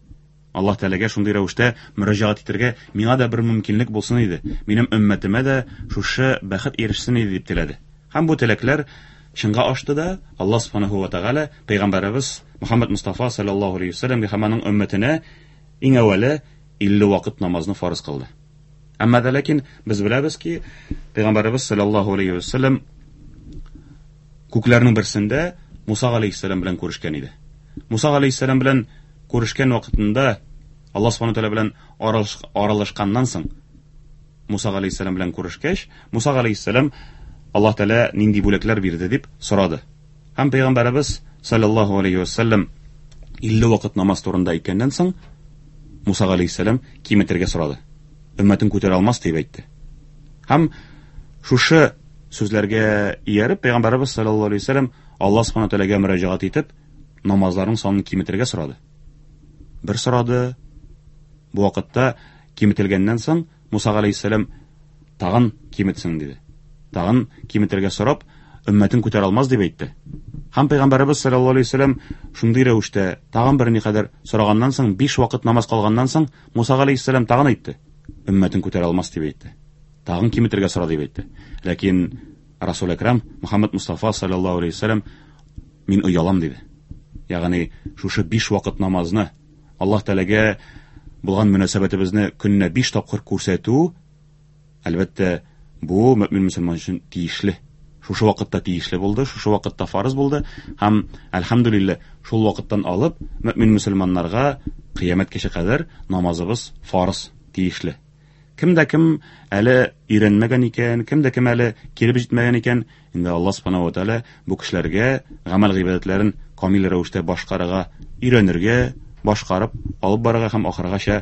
Аллаһ Тәгаләгә шундый рәвештә мөрәҗәгать итәргә миңа да бер мөмкинлек булсын иде, минем өммәтемә дә шушы бәхет ирешсен иде дип теләде. Һәм бу теләкләр чынга ашты да, Аллаһ субханаһу ва тәгалә пәйгамбәребез Мөхәммәд Мустафа саллаллаһу алейхи вәсәлләмгә һәм аның өммәтенә иң әүвәле 50 вакыт намазны фарыз кылды. Әмма дә ләкин без беләбез ки, пәйгамбәребез саллаллаһу алейхи вәсәлләм күкләрнең берсендә Муса алейхиссәлам белән күрешкән иде. Муса алейхиссәлам белән күрешкән вакытында Аллаһ субхану тәгалә белән аралашканнан соң Муса алейхиссәлам белән күрешкәч, Муса алейхиссәлам Аллаһ Тәгалә нинди бүләкләр бирде дип сорады. Һәм пәйгамбәребез саллаллаһу алейхи вәсәлләм 50 вакыт намаз турында әйткәннән соң Муса алейхиссәлам киметергә сорады. Өммәтен күтәрә алмас дип әйтте. Һәм шушы сүзләргә ияреп пәйгамбәребез саллаллаһу алейхи вәсәлләм Аллаһ субхана тәгаләгә мөрәҗәгать итеп намазларның санын киметергә сорады. Бер сорады. Бу вакытта киметелгәннән соң Муса галәйһиссәлам тагын киметсен диде. Тагын киметергә сорап, өммәтен күтәрә алмас дип әйтте. Һәм пәйгамбәребез саллаллаһу алейһи вәсәлләм шундый рәвештә тагын берникадәр сораганнан соң, биш вакыт намаз кылганнан соң, Муса галәйһиссәлам тагын әйтте. Өммәтен күтәрә алмас дип әйтте. Тагын киметергә сора дип әйтте. Ләкин Расул Әкрам Мөхәммәд Мустафа саллаллаһу алейһи вәсәлләм мин оялам диде. Ягъни шушы биш вакыт намазны Аллаһ Тәгаләгә булган мөнәсәбәтебезне көненә биш тапкыр күрсәтү, әлбәттә, бу мөмин мөселман өчен тиешле. Шушы вакытта тиешле булды, шушы вакытта фарыз булды һәм әлхәмдүлилләһ, шул вакыттан алып мөмин мөселманнарга кыямәткәчә кадәр намазыбыз фарыз, тиешле. Кем дә кем әле өйрәнмәгән икән, кем дә кем әле килеп җитмәгән икән, инде Аллаһ субхана ва тәгалә бу кешеләргә гамәл гыйбадәтләрен камил рәвештә башкарырга өйрәнергә, башкарып алып барырга һәм ахыргача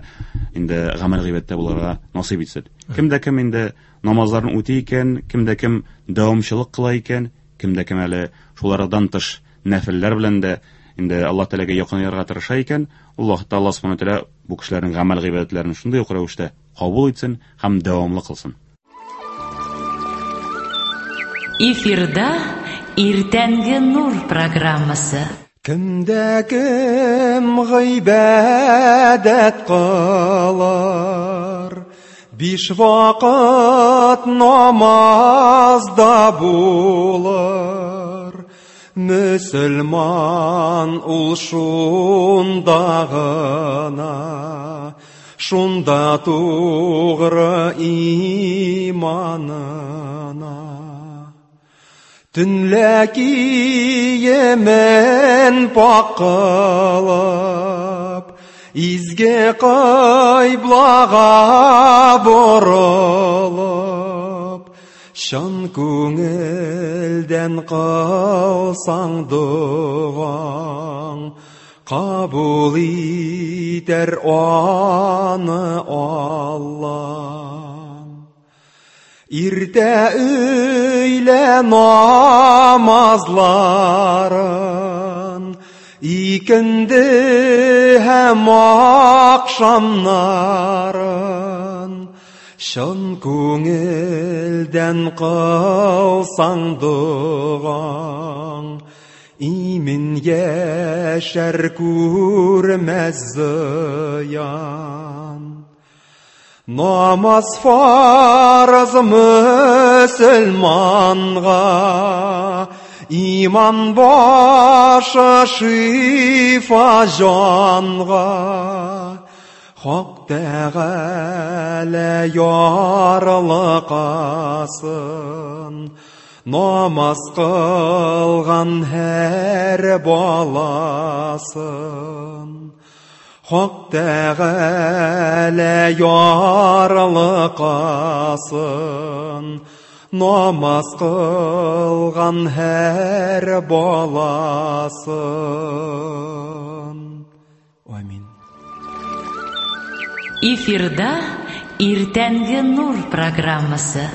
инде гамәл гыйбадәттә булырга насыйп итсен. Кем дә кем инде намазларын үти икән, кем дә кем дәвамчылык кыла икән, кем дә кем әле шулардан тыш нәфелләр белән дә инде Аллаһ Тәгаләгә якынаерга тырыша икән, ул вакытта Аллаһ субхана тәгалә бу кешеләрнең гамәл гыйбадәтләрен шундый ук рәвештә кабул итсен һәм дәвамлы кылсын. Эфирда Иртәнге нур программасы. Кемдә кем гыйбадәт кылыр, биш вакыт намазда булыр. Мөселман ул шунда гына, шунда тугры иманына. Төнлә киемен пак кылып, изге кыйблага борылып, чын күңелдән кылсаң догаң, кабул итәр аны Аллаһ. Иртә өйлә намазларын, икенде һәм ахшамнарын, чын күңелдән кылсаң догаң, имин яшәр күрмәс зыян. Намаз фарыз мөселманга, иман башы шифа җанга. Хак Тәгалә ярлыкасын, намаз кылган һәр баласын. Хак Тәгалә ярлыкасын, намаз кылган һәр баласын. Амин. Эфирда Иртәнге нур программасы.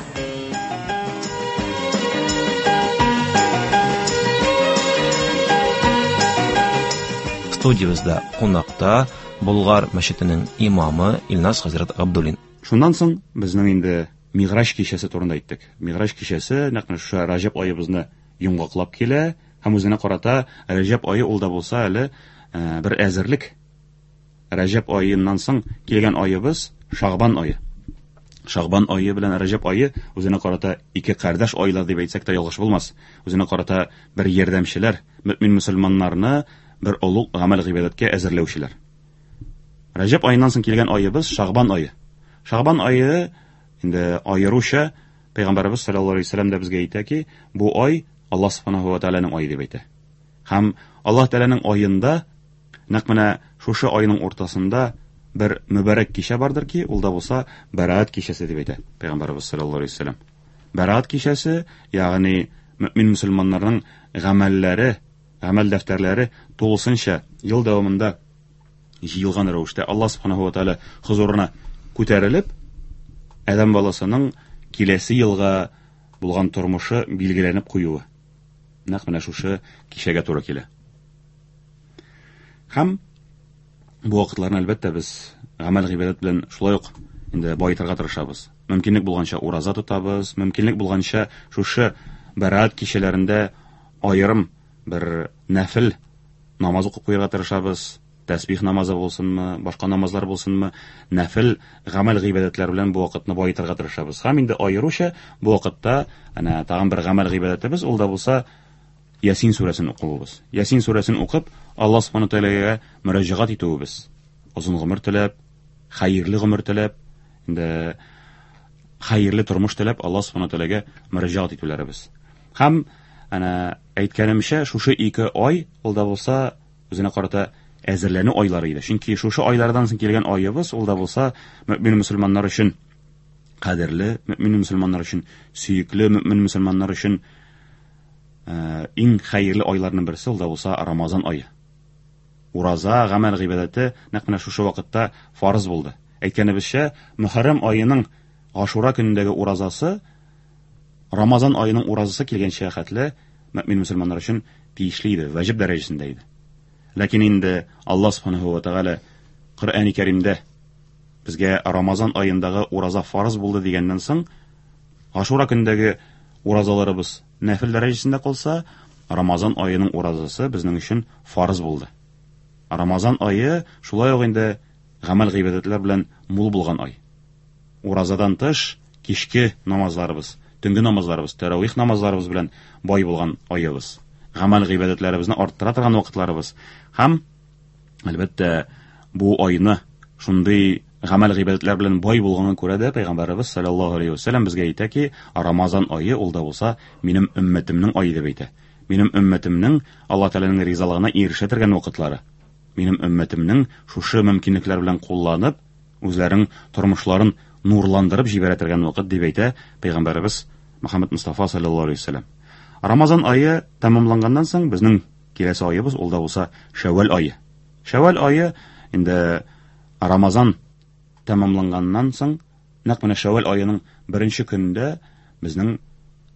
Студиябездә кунакта Болгар мәчетенең имамы Илназ хәзрәт Габдуллин. Шуннан соң безнең инде Мигъраҗ кичәсе турында әйттек. Мигъраҗ кичәсе нәкъ менә шушы Раҗәб аебызны йомгаклап килә һәм үзенә карата Раҗәб ае ул да булса әле бер әзерлек. Раҗәб аеннан соң килгән аебыз Шагбан ае. Шагбан ае белән Раҗәб ае үзенә карата ике кардәш айлар дип әйтсәк тә ялгыш булмас. Үзенә карата бер ярдәмчеләр, мөмин мөселманнарны бер олуг гамәл гыйбадәткә әзерләүчеләр. Раҗәб аеннан соң килгән аебыз Шагбан ае. Шагбан ае инде аеруча Пәйгамбәребез саллаллаһу алейһи вәсәлләм дә безгә әйтә ки, бу ай Аллаһ субханаһу ва тааляның ае дип әйтә. Һәм Аллаһ Тәгаләнең аенда нәкъ менә шушы айның уртасында бер мөбарәк кичә бардыр ки, ул да булса Бәраат кичәсе дип әйтә Пәйгамбәребез саллаллаһу алейһи вәсәлләм. Бәраат кичәсе, ягъни мөмин мөселманнарның гамәлләре, гамәл дәфтәрләре тулысынча ел дәвамында җыелган рәвештә Аллаһ субханаһу ва тааля хозурына күтәрелеп, адәм баласының киләсе елга булган тормышы билгеләнеп куюы. Нәкъ менә шушы кичәгә туры килә. Һәм бу вакытларны әлбәттә без гамәл гыйбадәт белән шулай ук инде баетырга тырышабыз. Мөмкинлек булганча ураза тотабыз, мөмкинлек булганча шушы бәраат кичәләрендә аерым бер нәфил намаз укып куярга тырышабыз. Тәсбих намазы булсынмы, башка намазлар булсынмы, нәфил гамәл гыйбадәтләр белән бу вакытны баетырга тырышабыз. Һәм инде аеруча бу вакытта әнә тагын бер гамәл гыйбадәтебез, ул да булса Ясин сүрәсен укуыбыз. Ясин сүрәсен укып, Аллаһ субхана тәгаләгә мөрәҗәгать итүебез. Озын гомер теләп, хәерле гомер теләп, инде хәерле тормыш теләп Аллаһ субхана тәгаләгә мөрәҗәгать итүләребез. Һәм әнә әйткәнемчә, шушы ике ай ул да булса үзенә карата әзерләнү айлары иде. Чөнки шушы айлардан соң килгән аебыз ул да булса мөмин мөселманнар өчен кадерле, мөмин мөселманнар өчен сөекле, мөмин мөселманнар өчен иң хәерле айларның берсе ул да булса Рамазан ае. Ураза, гамәл гыйбадәте нәкъ менә шушы вакытта фарыз булды. Әйткәнебезчә, Мөхәррәм аеның Ашура көнендәге уразасы Рамазан аеның уразасы килгәнчә хәтле мөмин мөселманнар өчен тиешле иде, вәҗиб дәрәҗәсендә иде. Ләкин инде Аллаһ субханаһу ва тәгалә Коръәни Кәримдә безгә Рамазан аендагы ураза фарыз булды дигәннән соң, Ашура көнендәге уразаларыбыз нәфил дәрәҗәсендә калса, Рамазан аеның уразасы безнең өчен фарыз булды. Рамазан ае шулай ук инде гамәл гыйбадәтләр белән мул булган ай. Уразадан тыш, кичке намазларыбыз, төнге намазларыбыз, тәравих намазларыбыз белән бай булган аебыз. Гамәл гыйбадәтләребезне арттыра торган вакытларыбыз. Һәм әлбәттә, бу айны шундый гамәл гыйбадәтләр белән бай булганга күрә дә Пәйгамбәребез саллаллаһу алейһи ва сәлләм безгә әйтә ки, Рамазан ае ул да булса минем өммәтемнең ае дип әйтә. Минем өммәтемнең Аллаһ Тәгаләнең ризалыгына ирешә торган вакытлары. Минем өммәтемнең шушы мөмкинлекләр белән кулланып, үзләренең тормышларын нурландырып җибәрә торган вакыт дип әйтә Пәйгамбәребез Мөхәммәд Мустафа саллаллаһу алейһи ва сәлләм. Рамазан ае тәмамланганнан соң безнең киләсе аебыз ул да булса Шәввәл ае. Шәввәл ае инде Рамазан тәмамланганнан соң, нәкъ менә Шәввәл аеның беренче көнендә безнең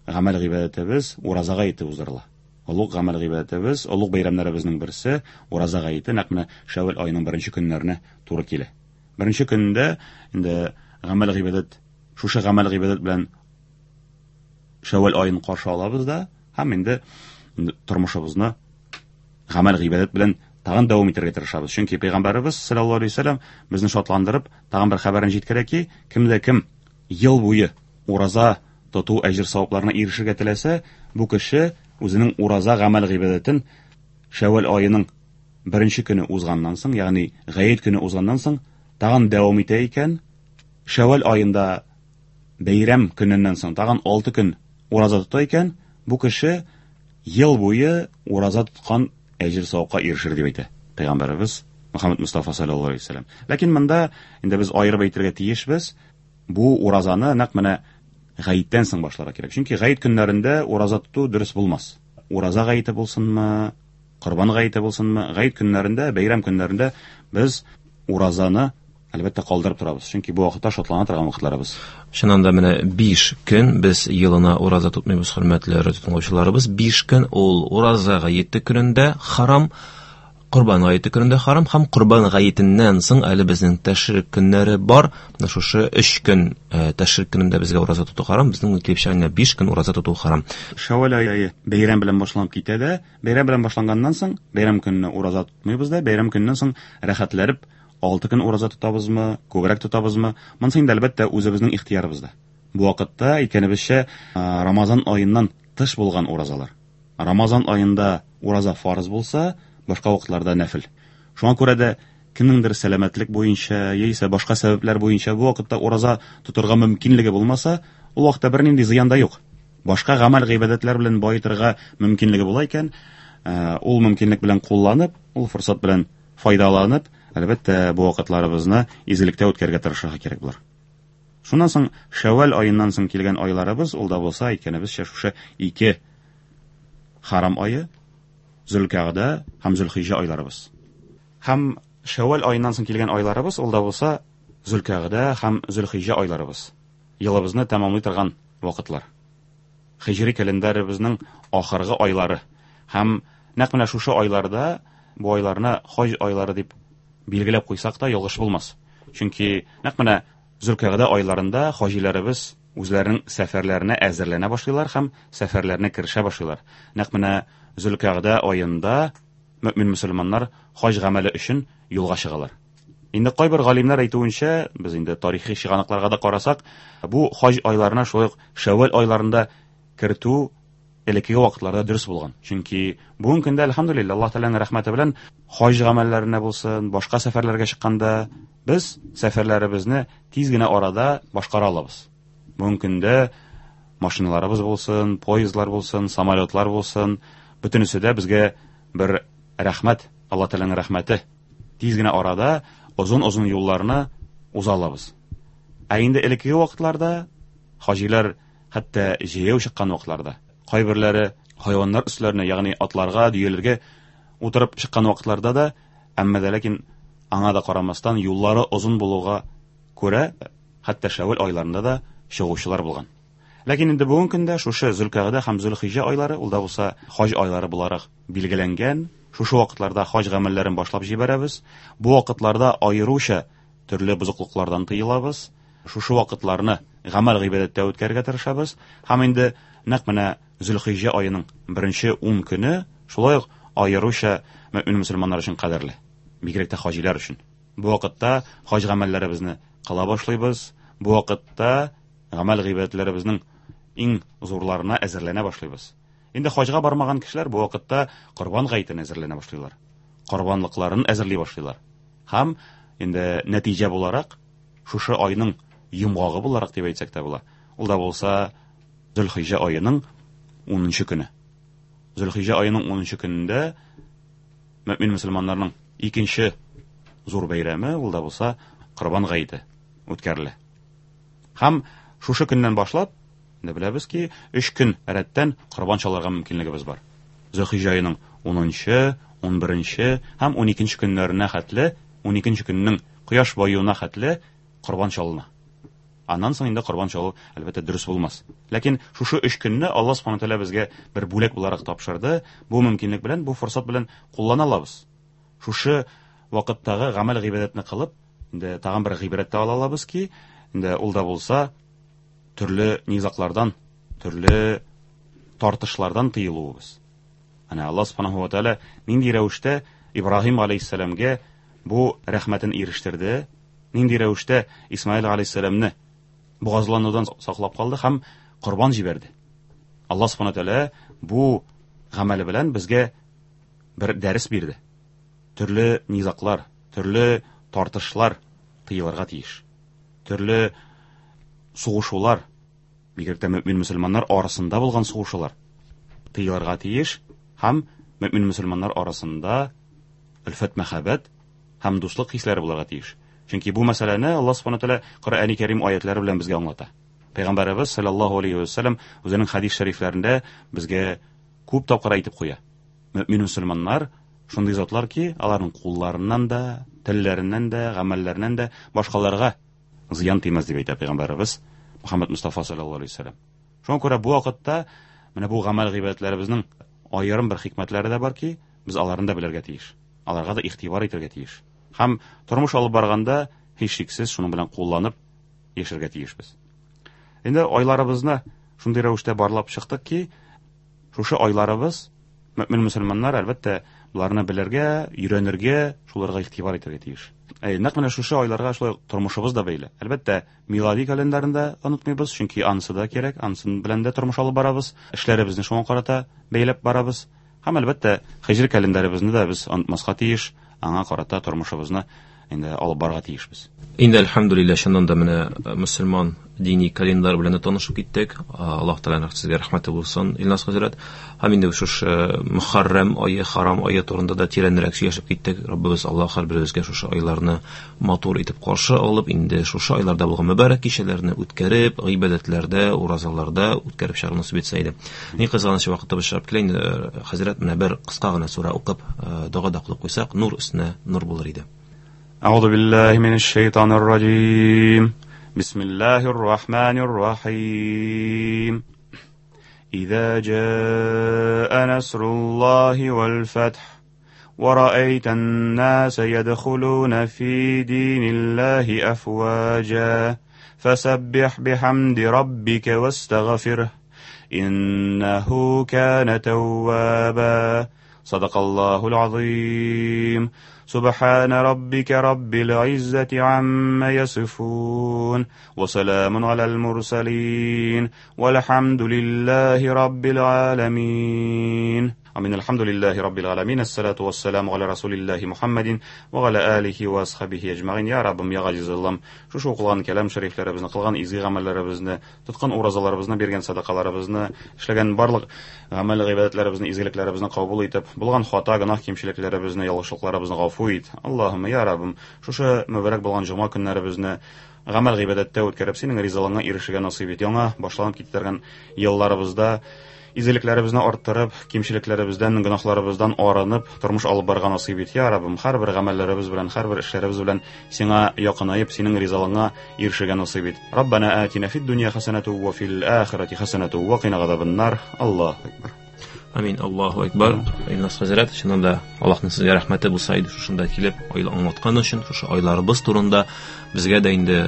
гамәл гыйбадәтебез ураза гаете уздырыла. Олуг гамәл гыйбадәтебез, олуг бәйрәмнәребезнең берсе ураза гаете нәкъ менә Шәввәл аеның беренче көннәренә туры килә. Беренче көнендә инде гамәл гыйбадәт, шушы гамәл гыйбадәт белән Шәввәл аен каршы алабыз да һәм инде тормышыбызны гамәл гыйбадәт белән тагын дәвам итәргә тырышабыз. Чөнки Пәйгамбәребез саллаллаһу алейһи вәсәлләм безне шатландырып, тагын бер хәбәрен җиткерә ки, кемдә кем ел буе ураза тоту әҗер савапларына ирешергә теләсә, бу кеше үзенең ураза гамәл гыйбадәтен Шәввәл аеның беренче көне узганнан соң, ягъни гает көне узганнан соң тагын дәвам итә икән, Шәввәл аенда бәйрәм көненнән соң тагын 6 көн ураза тота икән, бу кеше ел буе ураза тоткан әҗер савапка ирешер дип әйтә Пәйгамбәребез Мөхәммәд Мустафа саллаллаһу алейһи вәсәлләм. Ләкин монда инде без аерып әйтергә тиешбез, бу уразаны нәкъ менә гаеттән соң башларга кирәк. Чөнки гает көннәрендә ураза тоту дөрес булмас. Ураза гаете булсынмы, корбан гаете булсынмы, гает көннәрендә, бәйрәм көннәрендә без уразаны әлбәттә калдырып торабыз. Чөнки бу вакытта шатлана торган вакытларыбыз. Чыннан да менә 5 көн без елына ураза тотмыйбыз, хөрмәтле радио тыңлаучыларыбыз. 5 көн ул ураза гаете көнендә харам, Корбан гаете көнендә харам һәм Корбан гаетеннән соң әле безнең тәшрик көннәре бар. Менә шушы 3 көн тәшрик көнендә безгә ураза тоту харам, безнең килеп чыга 5 көн ураза тоту харам. Шәвәл ае бәйрәм белән башланып китә дә, бәйрәм белән башланганнан соң, бәйрәм көнне ураза тотмыйбыз да, бәйрәм көненнән соң рәхәтләнеп 6 көн ураза тотабызмы, күбрәк тотабызмы? Монысы инде әлбәттә үзебезнең ихтыярыбызда. Бу вакытта, әйткәнебезчә, Рамазан аеннан тыш булган уразалар. Рамазан аенда ураза фарыз булса, башка вакытларда нәфел. Шуңа күрә дә кемнеңдер сәламәтлек буенча яисә башка сәбәпләр буенча бу вакытта ураза тотырга мөмкинлеге булмаса, ул вакытта бернинди зыян да юк. Башка гамәл гыйбадәтләр белән баетырга мөмкинлеге була икән, ул мөмкинлек белән кулланып, ул форсат белән файдаланып, әлбәттә, бу вакытларыбызны изгелектә үткәрергә тырышырга кирәк булыр. Шуннан соң Шәвәл аеннан соң килгән айларыбыз, ул да булса, әйткәнебезчә, шушы ике харам ае, Зөлкәгъдә һәм Зөлхиҗә айларыбыз. Һәм Шәвәл аеннан соң килгән айларыбыз, ул да булса, Зөлкәгъдә һәм Зөлхиҗә айларыбыз. Елыбызны тәмамлый торган вакытлар. Хиҗри календаребезнең ахыргы айлары. Һәм нәкъ менә шушы айларда, бу айларны хаҗ айлары дип билгеләп куйсак та ялгыш булмас. Чөнки нәкъ менә Зөлкәгъдә айларында хаҗиләребез үзләренең сәфәрләренә әзерләнә башлыйлар һәм сәфәрләренә керешә башлыйлар. Нәкъ менә Зөлкәгъдә аенда мөэмин мөселманнар хаҗ гамәле өчен юлга чыгалар. Инде кайбер галимнәр әйтүенчә, без инде тарихи чыганакларга да карасак, бу хаҗ айларына шулай ук Шәвәл айларында кертү элеккеге вакытларда дөрес булган. Чөнки бүгенге көндә, әлхәмдүлилләһ, Аллаһ Тәгаләнең рәхмәте белән хаҗ гамәлләренә булсын, башка сәфәрләргә чыкканда без сәфәрләребезне тиз генә арада башкара алабыз. Бүгенге көндә машиналарыбыз булсын, поездлар булсын, самолетлар булсын, бөтенесе дә безгә бер рәхмәт, Аллаһ Тәгаләнең рәхмәте. Тиз генә арада озын-озын юлларны уза алабыз. Ә инде элеккеге вакытларда хаҗилар хәтта җәяү чыккан вакытларда, кайберләре хайваннар өсләренә, ягъни атларга, дөяләргә утырып чыккан вакытларда да, әмма дә ләкин аңа да карамастан юллары озын булуга күрә, хәтта Шәвәл айларында да чыгучылар булган. Ләкин инде бүгенге көндә шушы Зөлкәгъдә һәм Зөлхиҗә айлары, ул да булса хаҗ айлары буларак билгеләнгән. Шушы вакытларда хаҗ гамәлләрен башлап җибәрәбез. Бу вакытларда аеруча төрле бозыклыклардан тыелабыз. Шушы вакытларны гамәл гыйбадәттә үткәрергә тырышабыз. Һәм инде нәкъ менә Зөлхиҗә аеның беренче 10 көне шулай ук аеруча мөэмин мөселманнар өчен кадерле, бигрәк тә хаҗилар өчен. Бу вакытта хаҗ гамәлләребезне кыла башлыйбыз. Бу вакытта гамәл гыйбадәтләребезнең иң зурларына әзерләнә башлыйбыз. Инде хаҗга бармаган кешеләр бу вакытта корбан гаетенә әзерләнә башлыйлар. Корбанлыкларын әзерли башлыйлар. Һәм инде нәтиҗә буларак, шушы айның йомгагы буларак дип әйтсәк тә була. Ул да булса Зөлхиҗә аеның 10 көне. Зөлхиҗә аеның 10 көнендә мөэмин мөселманнарның икенче зур бәйрәме, ул да булса Корбан гаете үткәрелә. Һәм шушы көннән башлап, инде беләбез ки, 3 көн рәттән корбан чалырга мөмкинлегебез бар. Зөлхиҗә аеның 10-нчы, 11-нче һәм 12-нче көннәренә хәтле, 12-нче көннең кояш баюына хәтле корбан чалына. Аннан соң инде корбан чалу, әлбәттә, дөрес булмас. Ләкин шушы 3 көнне Аллаһ Субхану тәгалә безгә бер бүләк буларак тапшырды. Бу мөмкинлек белән, бу форсат белән куллана алабыз. Шушы вакыттагы гамәл гыйбадәтне кылып, инде тагын бер гыйбрәт тә ала алабыз ки, инде ул да булса төрле низаклардан, төрле тартышлардан тыелуыбыз. Әнә Аллаһ Субханаһу ва Тааля нинди рәвештә Ибраһим алейһиссәламгә бу рәхмәтен ирештерде, нинди рәвештә Исмаил алейһиссәламне бугазланудан саклап калды һәм корбан җибәрде. Аллаһ Субханаһу ва Тааля бу гамәле белән безгә бер дәрес бирде. Төрле низаклар, төрле тартышлар тыелырга тиеш. Төрле сугышулар, бигрәк тә мөэмин мөселманнар арасында булган сугышулар тыелырга тиеш һәм мөэмин мөселманнар арасында өлфәт, мәхәббәт һәм дуслык хисләре булырга тиеш. Чөнки бу мәсьәләне Аллаһ Субхану тәгалә Коръәни Кәрим аятлары белән безгә аңлата. Пәйгамбәребез саллаллаһу алейхи ва саллям үзенең хадис шәрифләрендә безгә күп тапкыр әйтеп куя. Мөэмин мөселманнар шундый затлар ки, аларның кулларыннан да, телләреннән дә, гамәлләреннән дә башкаларга зыян тимәс дип әйтә Пәйгамбәребез Мөхәммәд Мустафа саллаллаһу алейхи ва саллям. Шуңа күрә бу вакытта менә бу гамәл гыйбадәтләребезнең аерым бер хикмәтләре дә бар ки, без аларны да белергә тиеш. Аларга да игътибар итәргә тиеш. Һәм тормыш алып барганда һичшиксез шуның белән кулланып яшәргә тиешбез. Инде айларыбызны шундый рәвештә барлап чыктык ки, шушы айларыбыз мөмин мөселманнар әлбәттә боларны белергә, өйрәнергә, шуларга игътибар итәргә тиеш. Әй, нәкъ менә шушы айларга шулай тормышыбыз да бәйле. Әлбәттә, милади календарен да онытмыйбыз, чөнки анысы да кирәк, анысын белән дә тормыш алып барабыз, эшләребезне шуңа карата бәйләп барабыз. Һәм әлбәттә, һиҗри календарыбызны да без онытмаска тиеш, аңа карата тормышыбызны инде алып барырга тиешбез. Инде әлхәмдүлилләһ, чыннан да менә мөселман дини календар белән дә танышып киттек. Аллаһ Тәгаләнең сезгә рәхмәте булсын, Илназ хәзрәт. Һәм инде шушы Мөхәррәм ае, Харам ае турында да тирәнрәк сөйләшеп киттек. Раббыбыз Аллаһ һәрберебезгә шушы айларны матур итеп каршы алып, инде шушы айларда булган мөбарәк кичәләрне үткәреп, гыйбадәтләрдә, уразаларда үткәреп чыгару насыйп итсә иде. Ни кызганыч, вакытыбыз чыгып килә инде, хәзрәт, менә бер кыска гына сүрә укып, дога да кылып куйсак, нур өстенә нур булыр иде. أعوذ بالله من الشيطان الرجيم بسم الله الرحمن الرحيم إذا جاء نصر الله والفتح ورأيت الناس يدخلون في دين الله أفواجا فسبح بحمد ربك واستغفره إنه كان توابا صدق الله العظيم سبحان ربك رب العزة عما يصفون وسلام على المرسلين والحمد لله رب العالمين آمين الحمد لله رب العالمين الصلاة والسلام على رسول الله محمد وعلى آله وأصحابه أجمعين يا ربم يا غزيز الله шушы укылган кәлам шәрифләребезне, кылган изге гамәлләребезне, тоткан уразаларыбызны, биргән садакаларыбызны, эшләгән барлык гамәл гыйбадәтләребезне, изгелекләребезне кабул итеп, булган хата, гөнаһ, кимчелекләребезне, ялгышлыкларыбызны гафу ит. Аллаһумма я Раббым, шушы мөбарәк булган җомга көннәребезне гамәл гыйбадәттә үткәреп, синең ризалыгыңа ирешергә насыйп ит. Яңа башланып китергән елларыбызда изгелекләребезне арттырып, кимчелекләребездән, гөнаһларыбыздан арынып, тормыш алып барырга насыйп ит. Я Раббым, һәрбер гамәлләребез белән, һәрбер эшләребез белән сиңа якынаеп, синең ризалыгыңа ирешергә насыйп ит. Раббана атина фид дөнья хасанату ва фил ахирати хасанату ва кина газабаннар. Аллаһу акбар. Амин. Аллаһу акбар. Илназ хәзрәт, чыннан да Аллаһның сезгә рәхмәте булса иде, шушында килеп ай аңлаткан өчен, шушы айларыбыз турында безгә дә инде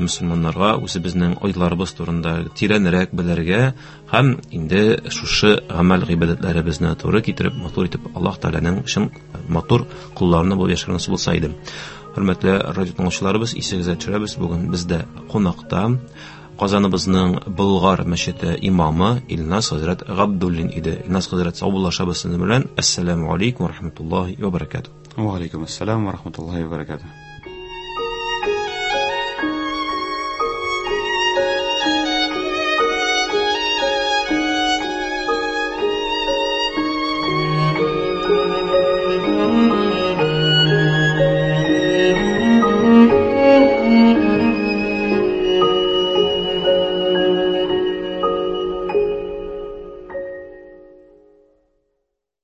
мөселманнарга үзебезнең айларыбыз турында тирәнрәк белергә һәм инде шушы гамәл гыйбадәтләребезне туры китереп, матур итеп Аллаһ Тәгаләнең чын матур колларына булып яшәргә насыйп булса иде. Хөрмәтле радио тыңлаучыларыбыз, исегезгә төшерәбез, бүген бездә кунакта Казаныбызның Болгар мәчете имамы Илназ хәзрәт Габдуллин иде. Илназ хәзрәт, саубуллашабыз сезнең белән. Әссәламу алейкум ва рахматуллаһи ва баракатуһ. Ва алейкум ассалам ва рахматуллаһи ва баракатуһ.